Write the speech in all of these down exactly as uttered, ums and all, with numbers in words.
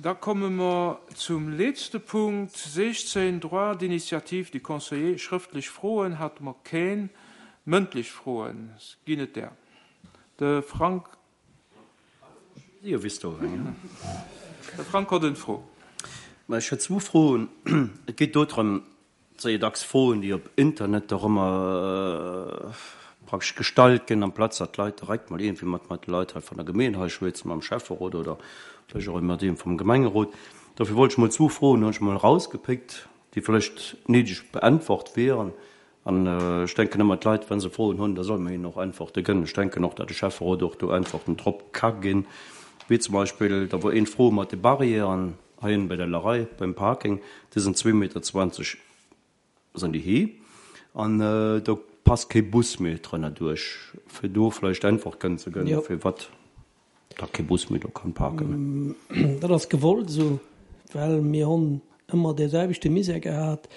Da komme mer zum letzte Punkt sechzehn, Droit d'initiative du Conseiller. Schrëftlech Froen hate mer keen, mëndlech Froen ginn et der. De Frank. Jo, wéi s du eng, ja. De Frank huet eng Fro. Ma ech hätt zwou Froen. Et geet do drëm, et si jo dacks Froen, déi op Internet och ëmmer praktesch gestallt ginn, amplaz datt d'Leit direkt mol iergendwéi mat mat de Leit hei vun der Gemeen hei schwätzen, mam Schäfferot oder vläicht och mat deem vum Gemengerot. Dofir wollt ech mol zwou Froen hunn ech mol erausgepickt, déi vläicht néideg beäntwert wieren. An ech denken ëmmer, d'Leit, wa se Froen hunn, da soll mer hinnen och Äntwerte gënn. Ech denken och, datt de Schäfferot och do Äntwerten drop ka ginn, wéi zum Beispill, da wor een Fro mat de Barrièren hei ënnen bei der Larei beim Parking, déi sinn zwee Meter zwanzeg sinn déi hee an do passt kee Bus méi drënner duerch, fir do vläicht Äntwert kënnen ze gënn, firwat da kee Bus méi do kann parken. Dat ass gewollt esou, well mir hunn ëmmer dee selwechte Misär gehat,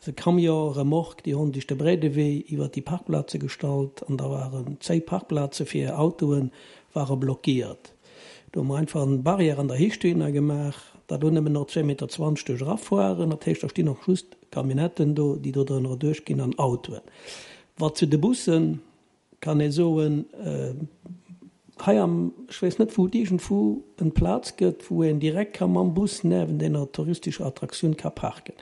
E Camion remorque, déi hunn duerch de Bréidewee iwwer déi Parkplaze gestallt an da waren zéi Parkplaze fir Autoe ware blockiert. Do hu mer einfach eng Barrière an der Héicht dohinner gemaach, datt do nëmmen nach zwee Meter zwanzeg duerch erafueren. Dat heescht, da stinn och just Camionnetten do, déi do drënner erduerchginn an Autoen. Wat zu de Bussen, kann ee soen, hei am, ech weess net wou, et iergendwou en Plaz gëtt, wou een direkt ka mam Bus niewent enger touristescher Attraktioun ka parken.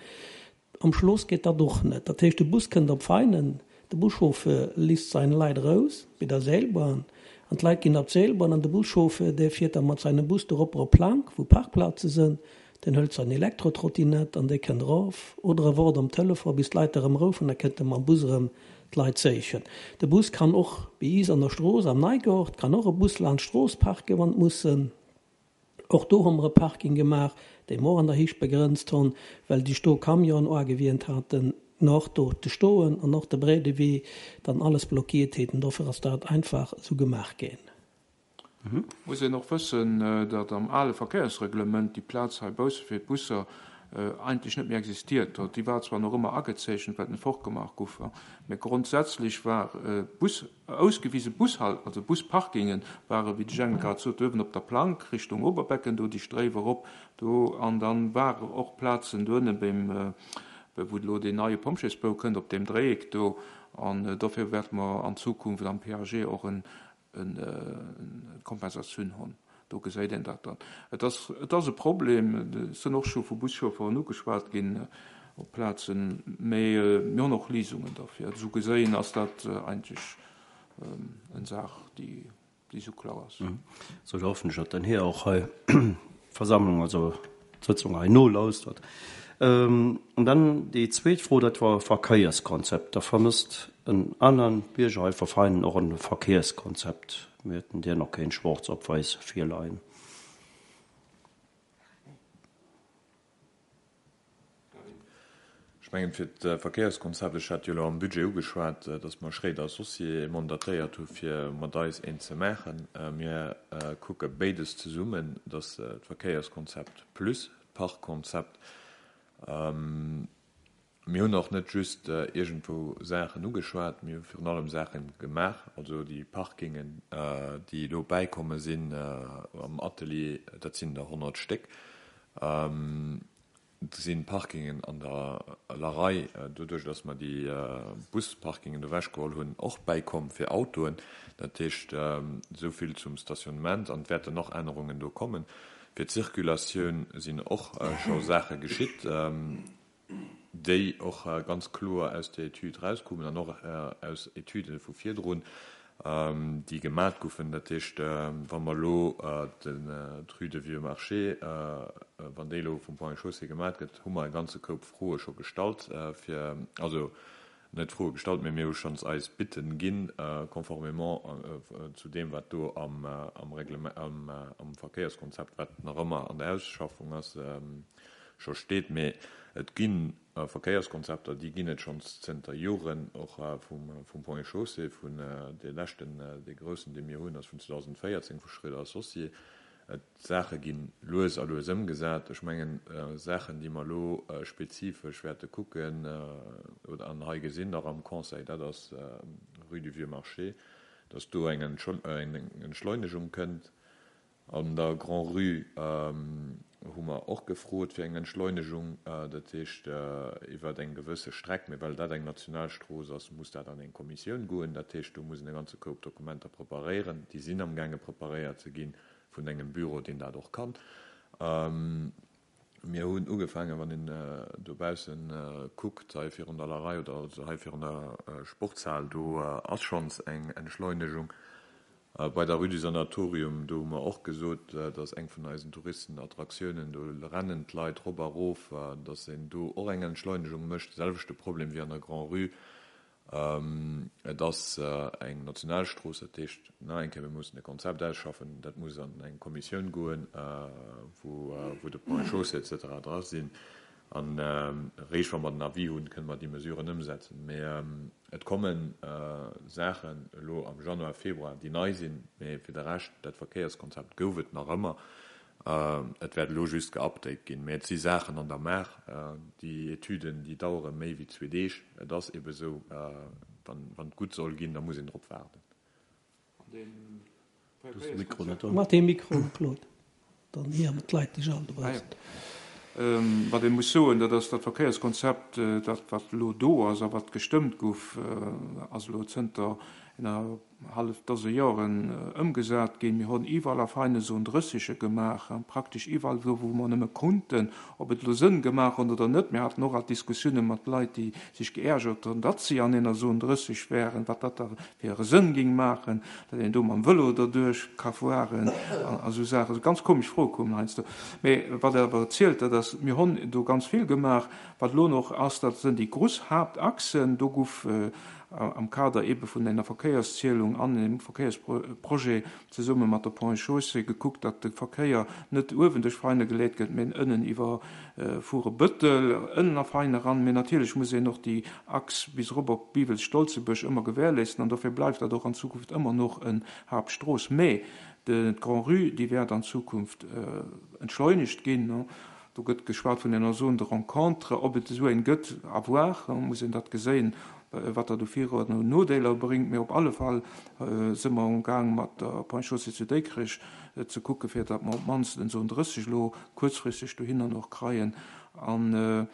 Am Schloss geet dat och net. Dat heescht, de Bus kënnt op Veinen, de Buschauffeur lisst sein Leit eraus bei der Seilbahn an d'Leit ginn op d'Seilbahn an de Buschauffeur, dee fiert da mat seinem Bus doropper op Plank, wou Parkplaze sënn, deen hëlt sein Elektrotrottinett an dee kënnt erof oder e woart am Telefon, bis d'Leit erëm roufen, da kënnt e mam Bus erëm d'Leit séichen. De Bus kann och bei is an der Strooss am Neigort, kann och e Bus laanscht d'Strooss parken, wann et muss sënn. Och do hu mer e Parking gemaach, dee mer och an der Héicht begrënzt hunn, well déi do Camionen agewient haten, och do ze stoen an och de Bréidewee dann alles blockiert hätten. Dofir ass dat einfach esou gemaach ginn. Muss een och wëssen, datt am ale Verkéiersreglement déi Plaz hei bausse fir d'Busser eigentlech net méi existiert huet. Déi war zwar nach ëmmer agezeechent, well en fortgemaach gouf, mä grondsätzlech war Bus, ausgewise Bushal, also Busparkingen ware, wéi de Jhang grad sot, uewen op der Plank Richtung Oberbecken, do déi Stréif erop do, an dann ware och Plazen do ënne beim, wou elo deen neie Pompjeesbou kënnt, op deem Dréieck do, an dofir wäerte mer an Zukunft am P A G och en, en, en Kompensatioun hunn. Do gesäit een dat dann. Et ass, et ass e Problem, et sinn och scho vu Buschauffeuren ugeschwat ginn op Plazen, mee mir hunn och Léisungen dafür. Esou geséien ass dat eigentlech eng Saach, déi, déi sou kloer ass. Sou, da hoffen ech, datt den Här och hei d'Versammlung, also d'Sëtzung hei nolauschtert. An dann déi zweet Fro, dat war e Verkéierskonzept. Da vermësst en aneren Bierger hei verfeinen och e Verkéierskonzept. Mir hätten dir nach keen schwarz op wäiss virleien. Ech mengen, fir d'Verkéierskonzept, ech hat jo elo am Budget ugeschwat, dass mer Schréider Associés mandatéiert hu fir mat eis eent ze maachen. Mir kucke béides zesummen, dass d'Verkéierskonzept plus d'Parkkonzept. Mir hunn och net just iergendwou Saachen ugeschwat, mir hu virun allem Saache gemaach, also déi Parkingen, déi elo bäikomme sinn am Atelier, dat sinn der honnert Stéck. Et si Parkingen an der Larei, doduerch datt mer déi Busparkingen ewechgeholl hunn, och bäikomm fir Autoen. Dat heescht, esou vill zum Stationnement, an et wäerten nach Ännerungen do kommen. Fir d'Circulatioun sinn och scho Saache geschitt, déi och ganz kloer aus der Etüd erauskommen an och aus Etüde vu virdrun, déi gemat goufen. Dat heescht, wa mer elo d'Rue de Vieux-Marché, wann déi elo vum Ponts et Chaussées gemat gëtt, hu mer e ganze Koup Froe scho gestallt, fir, also net Froe gestallt, mee mir hu schonns eis Bitten ginn, conformément zu deem, wat do am, am Reglement, am, am Verkéierskonzept, wat nach ëmmer an der Ausschaffung ass, scho steet. Mee et gi Verkéierskonzepter, déi ginn et schonns zënter Joren, och vum, vum Ponts et Chaussées, vun dee leschten, dee groussen, dee mir hunn, ass vun zweedausendvéierzéng vu Schréider Associés. D'Saache gi lues a lues ëmgesat. Ech mengen, Saachen, déi mer elo spezifesch wäerte kucken oder an hei gesinn nach am Conseil, dat ass Rue du Vieux-Marché, dass do eng Entschleunegung kënnt. An der Grand-Rue hu mer och gefrot fir eng Entschleunegung, dat heescht iwwer eng gewësse Streck, mee well dat eng Nationalstrooss ass, muss dat an eng Kommissioun goen. Dat heescht, do muss een e ganze Koup Dokumenter preparéieren. Déi sinn amgaange preparéiert ze gi vun engem Büro, deen dat och kann. Mir hunn ugefaangen, wann een dobausse kuckt, hei virun der Lerei oder also hei virun der Sportshal, do ass schonns eng Entschleunegung. Bei der Rue du Sanatorium, do hu mer och gesot, dat ass eng vun eisen Touristenattraktiounen, do rennen d'Leit rop a rof, datt een do och eng Entschleunegung mécht. De selwechte Problem wéi an der Grand-Rue. Et ass eng Nationalstrooss, dat heescht, nach eng Kéier, mir mussen e Konzept ausschaffen, dat muss an eng Kommissioun goen, wou de Ponts et Chaussées et cetera dra sinn. An eréischt wa mer den Avis hunn, kënne mer déi Mesuren ëmsetzen. Mee et komme Saachen elo am Januar, Februar, déi nei sinn. Mee fir de Rescht, dat Verkéierskonzept gouf et nach ëmmer. Et wäert elo just geupdate ginn. Mee et si Saachen an der Maach. Déi Etüden, déi dauere méi wéi zwee Deeg. Et ass ebe sou, wann et gutt soll ginn, da muss een drop waarden. Mach dee Mikro op, Claude, dann héieren d'Leit dech all dobaussen. Wat ee muss soen, dat ass, dat Verkéierskonzept, dat wat elo do ass a wat gestëmmt gouf, ass elo zënter enger hallef Dose Joren ëmgesat ginn. Mir hunn iwwerall a Veine Zone drëssege gemaach, praktesch iwwerall do, wou mer nëmme konnten. Ob et elo Sënn gemaach huet oder net, mir haten och alt Diskussioune mat Leit, déi sech geärgert hunn, datt si an enger Zone drësseg wären, wat dat da fir e Sënn géing maachen, datt een do mam Vëlo derduerch ka fueren a sou Saachen. Ganz komesch Froe koumen heiansdo. Mee wat awer zielt, dat ass, mir hunn do ganz vill gemaach. Wat elo nach ass, dat sinn déi grouss Haaptachsen. Do gouf am Kader eebe vun enger Verkéierszielung an engem Verkéiersprojet zesumme mat der Ponts et Chaussées gekuckt, datt de Verkéier net uewen duerch Veine geleet gëtt, mee ënnen iwwer Furebëttel ënnen a Veine eran. Mee natierlech muss een och déi Achs bis erop op Biwels-Stolzebuerg ëmmer gewährleisten an dofir bleift dat och an Zukunft ëmmer noch en Haaptstrooss. Mee d'Grand-Rue, déi wäert an Zukunft entschleunegt ginn. Do gëtt geschwat vun enger Zone de rencontre. Ob et esou eng gëtt, à voir, muss een dat geséien, wat dat u Vir an u Nodeeler bréngt. Mee op alle Fall si mer amgaang mat der Ponts et Chaussées zu Dikrech ze kucke fir datt mer op d'mannst en Zone drësseg elo kuerzfristeg dohinner och kreien. An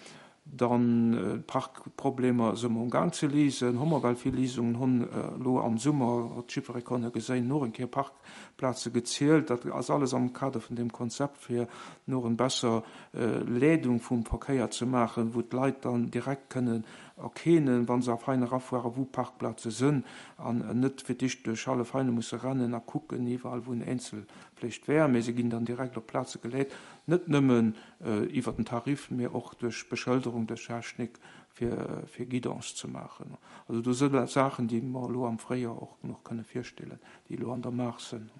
dann d'Parkproblemer si mer amgaang ze léisen, hu mer well vill Léisungen, hunn elo am Summer, huet jiddweree konne geséien, noch eng Kéier Parkplaze gezielt. Dat ass alles am Kader vun deem Konzept, fir noch eng besser Leedung vum Verkéier ze maachen, wou d'Leit dann direkt kënnen erkennen, wa se a Veine erafueren, wou Parkplaze sënn an net fir d'éischt duerch hallef Veine musse rennen a kucken iwwerall, wou en eenzel vläicht wär, mee se ginn dann direkt op Plaze geleet, net nëmmen iwwer den Tarif, mee och duerch Beschëlderung, duerch Technik, fir, fir Guidance ze maachen. Also do sënn Saachen, déi mer elo am Fréijoer och nach kënne virstellen, déi elo an der Maach sënn.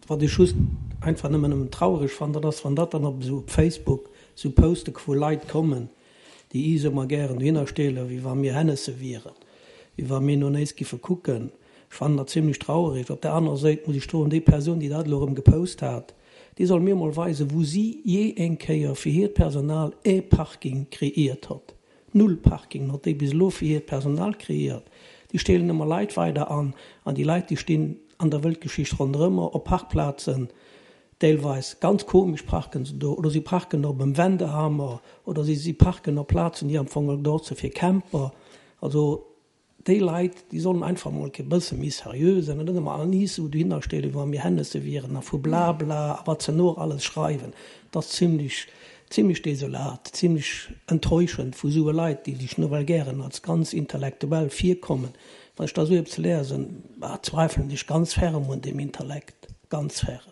Wat ech just einfach nëmmen nëmmen traureg fannen, dat ass, wann dat dann op esou op Facebook esou Poste vu Leit kommen, déi is ëmmer gären dohinner stellen, wéi wa mir Hennesse wieren, wéi wa mir no néis giffe kucken. Ech fannen dat zimlech traurig. Op der anerer Säit muss ech soen, déi Persoun, déi dat elo erëm gepost hat, déi soll mir mol weisen, wou si jee eng Kéier fir hiert Personal e Parking kreéiert hott. Null Parking hott déi bis elo fir hiert Personal kreéiert. Déi stellen ëmmer Leit weider an, an déi Leit, déi stinn an der Weltgeschicht ronderëmmer op Parkplazen, deelweis ganz komesch parken se do, oder si parken op em Wendehammer, oder si si parken op Plazen, déi am Fong gedocht si fir Camper. Also déi Leit, déi sollen einfach mol e bësse méi seriö sinn an net ëmmer all ni sou dohinner stellen, wéi wa mir Hennesse wieren a vu Blabla a wat se no alles schreiwen. Dat ass zimlech, zimlech desolat, zimlech enttäuschend vu soue Leit, déi sech nawell gären als ganz intellektuell virkommen. Wann ech da sou eppes lesen, bah, zweifelen ech ganz ferm un dem Intellekt, ganz ferm.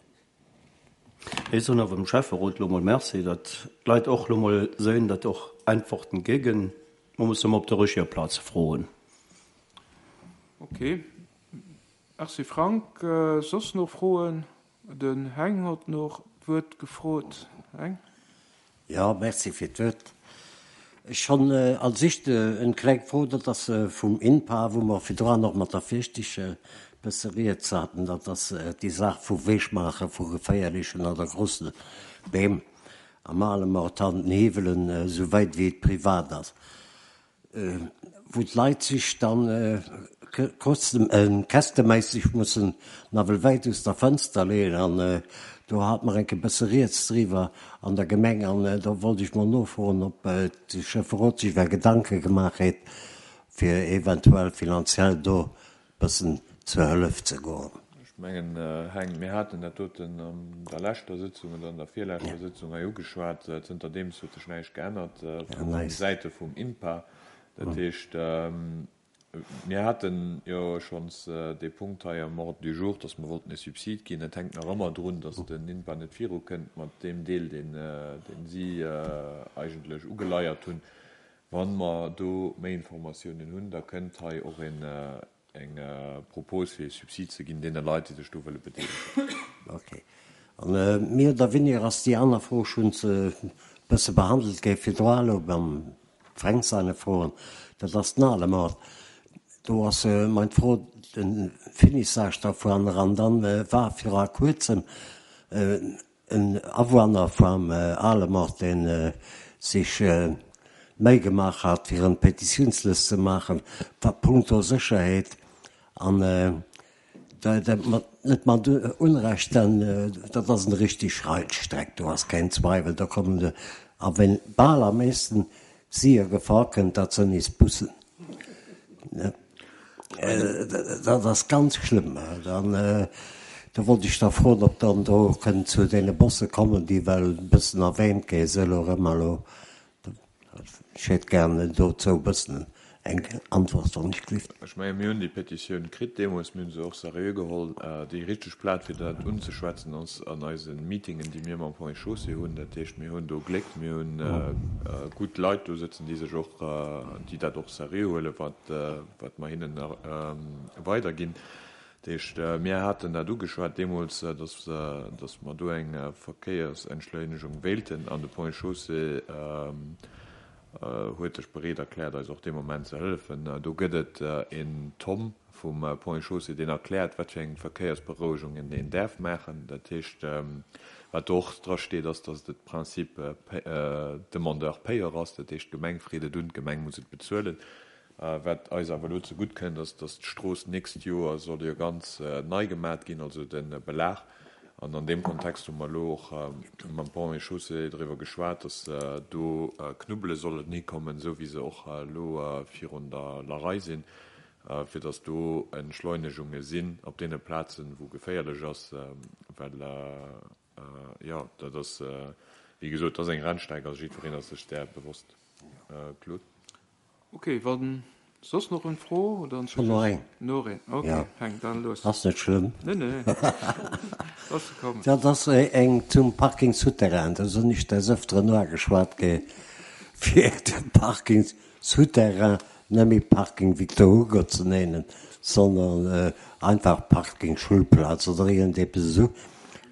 Ech soen awer dem Schäfferot lo mol Merci, datt d'Leit och lo mol sinn, datt och Äntworten ginn. Man muss ëmmer op der richtiger Plaz froen. Ok, Merci Frank. Soss nach Froen? Den Heng huet nach d'Wuert gefrot. Heng? Jo, merci fir d'Wuert. Ech hunn als éischt eng kleng Fro, dat ass vum INPA, wou mer virdrun och mat der Firstig e bësse rieds haten, dat ass déi Saach vu Wegmaache vu geféierlechen oder grousse Beem am Alemort an den Hiwwelen, esou wäit wéi et privat ass, wou d'Leit sech dann kästeméisseg mussen nawell wäit aus der Fënster leeën an do hat mer enke bësse rieds driwwer an der Gemeng an do wollt ech mol nofroen, ob de Schäfferot sech wer Gedanke gemaach huet, fir eventuell finanziell do bëssen zur Hëllef ze goen. Ech mengen, Heng, mir haten dat doten an der leschter Sëtzung oder an der virleschter Sëtzung hei ugeschwat. Zënter deems huet sech näischt geännert vu Säite vum INPA. Dat heescht, mir haten jo schonns dee Punkt hei am Ordre du jour, dass mer wollten e Subsid ginn. Et hänkt nach ëmmer drun, dass den INPA net virukënnt mat deem Deel, deen si eigentlech ugeleiert hunn. Wa mer do méi Informatiounen hunn, da kënnt hei och eng Propos, fir e Subsid ze ginn deene Leit, déi sech do wëlle bedeelegen. Okay. An méi oder weniger ass déi aner Fro schonns e bësse behandelt gi virdru elo beim Fränk seine Froen. Dat ass den Alemort. Do ass meng Fro de Finissage dervun an dann war viru kuerzem en Awunner vum Alemort, deen sech Méi gemaach hat, fir en Petitiounslëst ze maachen punkto Sécherheet an net mat Unrecht, denn dat ass en richteg Rennstreck, do ass keen Zweiwel, do kommen de a ween bal am meeschten si a Gefor kënnt, dat sënn is Bussen. Dat ass ganz schlëmm. Dann do wollt ech da froen, ob dann do kënnt zu deene Busse kommen, déi well e bëssen erwähnt gi sënn elo erëm elo. Ech hätt gär dozou e bëssen eng Antwort, wann ech gelift. Ech mengen, mir hunn déi Petitioun kritt deemools, mir hu se och seriö geholl. Déi richteg Plaz, fir dat unzeschwätzen, ass an eise Meetingen, déi mir mam Ponts et Chaussées hunn. Dat heescht, mir hunn do Gléck, mir hunn gutt Leit do sëtzen, déi sech och, déi dat och seriö huelen, wat, wat mer hinnen weiderginn. Dat heescht, mir haten dat ugeschwat deemools, dass, dass mer do eng Verkéiersentschleunegung wéilten an de Ponts et Chaussées huet sech bereet erkläert, eis och dee Moment ze hëllefen. Do gëtt et en Tom vum Ponts et Chaussées, deen erkläert, wat fir eng Verkéiersberouegungen een däerf maachen. Dat heescht, wat do och drasteet, ass, dass de Principe demandeur payeur ass. Dat heescht, d'Gemeng freet et un, d'Gemeng muss et bezuelen. Wat eis awer elo zegutt kënnt, ass, dass d'Strooss d'nächst Joer soll jo ganz nei gemat ginn, also de Belag. An an deem Kontext hu mer elo och mam Ponts et Chaussées driwwer geschwat, dass do Knubbele sollen hikommen, esou wéi se och elo virun der Larei sinn, fir dass do Entschleunegunge sinn op deene Plazen, wou geféierlech ass, well, jo, dat ass, wéi gesot, dat ass eng Rennstreck, also jiddwereen ass sech där bewosst. Claude? Ok, wann soss nach en Fro oder en Schon nach eng. Noch een, ok, Ja. Heng, dann los. Ass net schlëmm. Nee, nee. Lass se kommen. Dat ass eng zum Parking souterrain. Do sinn ech des Ëfteren ugeschwat gi fir de Parking souterrain net méi Parking Victor Hugo ze nennen, sondern einfach Parking Schulplatz oder iergendeppes esou.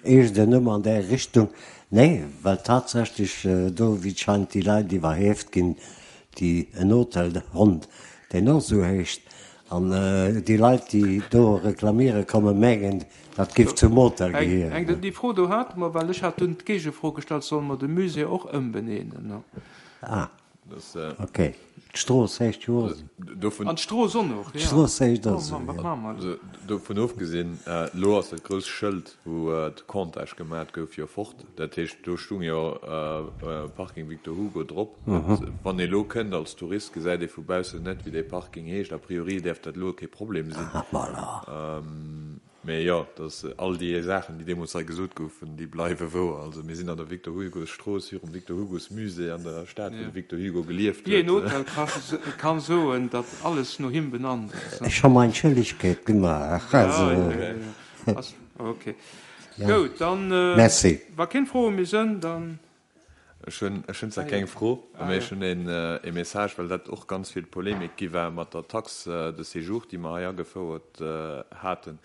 Iergend en Numm an där Richtung. Nee, well tatsächlech do, wéi et scheint, déi Leit iwwerhieft ginn, déi en Hotel hunn, deen och esou heescht, an déi Leit, déi do reklamiere kommen, mengen, dat géif zum Hotel Eng, eng, gehéieren. déi Fro do hate mer, well ech hat dunn d'Géigefro gestallt, Solle mer de Musée och ëmbenennen? Ah, Das, okay. D'Strooss heescht jo och esou. dovun, An d'Strooss och nach, ja. D'Strooss heescht och Oh esou, Mann, wat jo. maache mer elo? Dovun ofgesinn, elo ass dat grousst Schëld, wou de Comptage gemat gouf, jo fort. Dat heescht, do stung jo Parking Victor Hugo drop. Wann ee elo kënnt als Tourist, gesäit ee vu baussen net, wéi dee Parking heescht. A priori däerf dat elo kee Problem sinn. Ah, voilà. Mee jo, dass all déi Saachen, déi deemools hei gesot goufen, déi bleiwe wouer. Also mir sinn an der Victor Hugo Strooss, virum Victor Hugos Musée an der Stad, wou de Victor Hugo gelieft Wéi een huet. Hotel ka kann soen, datt alles no him benannt ass. Ech hu meng Schëllegkeet gemaach. Ja, Also, ja, ja, ja. Ass, okay. ja. Goud, dann, Merci. wa keng Froe méi sënn, dann. Ech hunn, ech hunn zwar Ah, keng jo. Fro, Ah, mee ech jo. hunn een, ee Message, well dat och ganz vill Polemik gi war mat der Taxe de séjour, déi mer hei agefouert haten.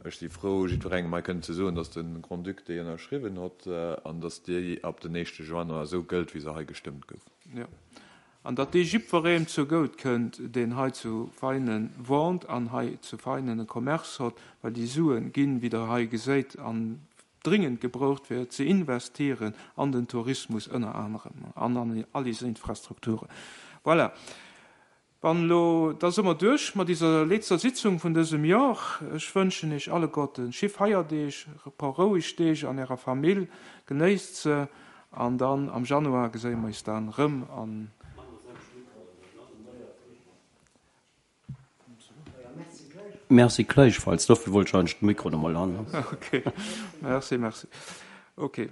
Ech si frou, jiddwerengem hei kënnen ze soen, dass de Grand-Duc déi ënnerschriwwen hott an dass déi ab den éischte Januar esou gëllt, wéi se hei gestëmmt gouf. Jo. An datt déi jiddwerem zu goud kënnt, deen hei zu Veinen wohnt an hei zu Veinen e Commerce hott, well déi Suen ginn, wéi Der hei geséit, an dringend gebraucht fir ze investieren an den Tourismus ënner anerem an an all diese Infrastrukturen. Voilà. Wann elo, da si mer duerch mat iser letzter Sitzung vun dësem Jor. Ech wënschen iech alleguerten schéi Feierdeeg, e puer roueg Deeg an ärer Famill, genéisst se an dann am Januar geséie mer is dann rëm an. Merci gläichfalls, dofir wollt ech eigentlech de Mikro nach mol han. Ok, merci, merci. Ok.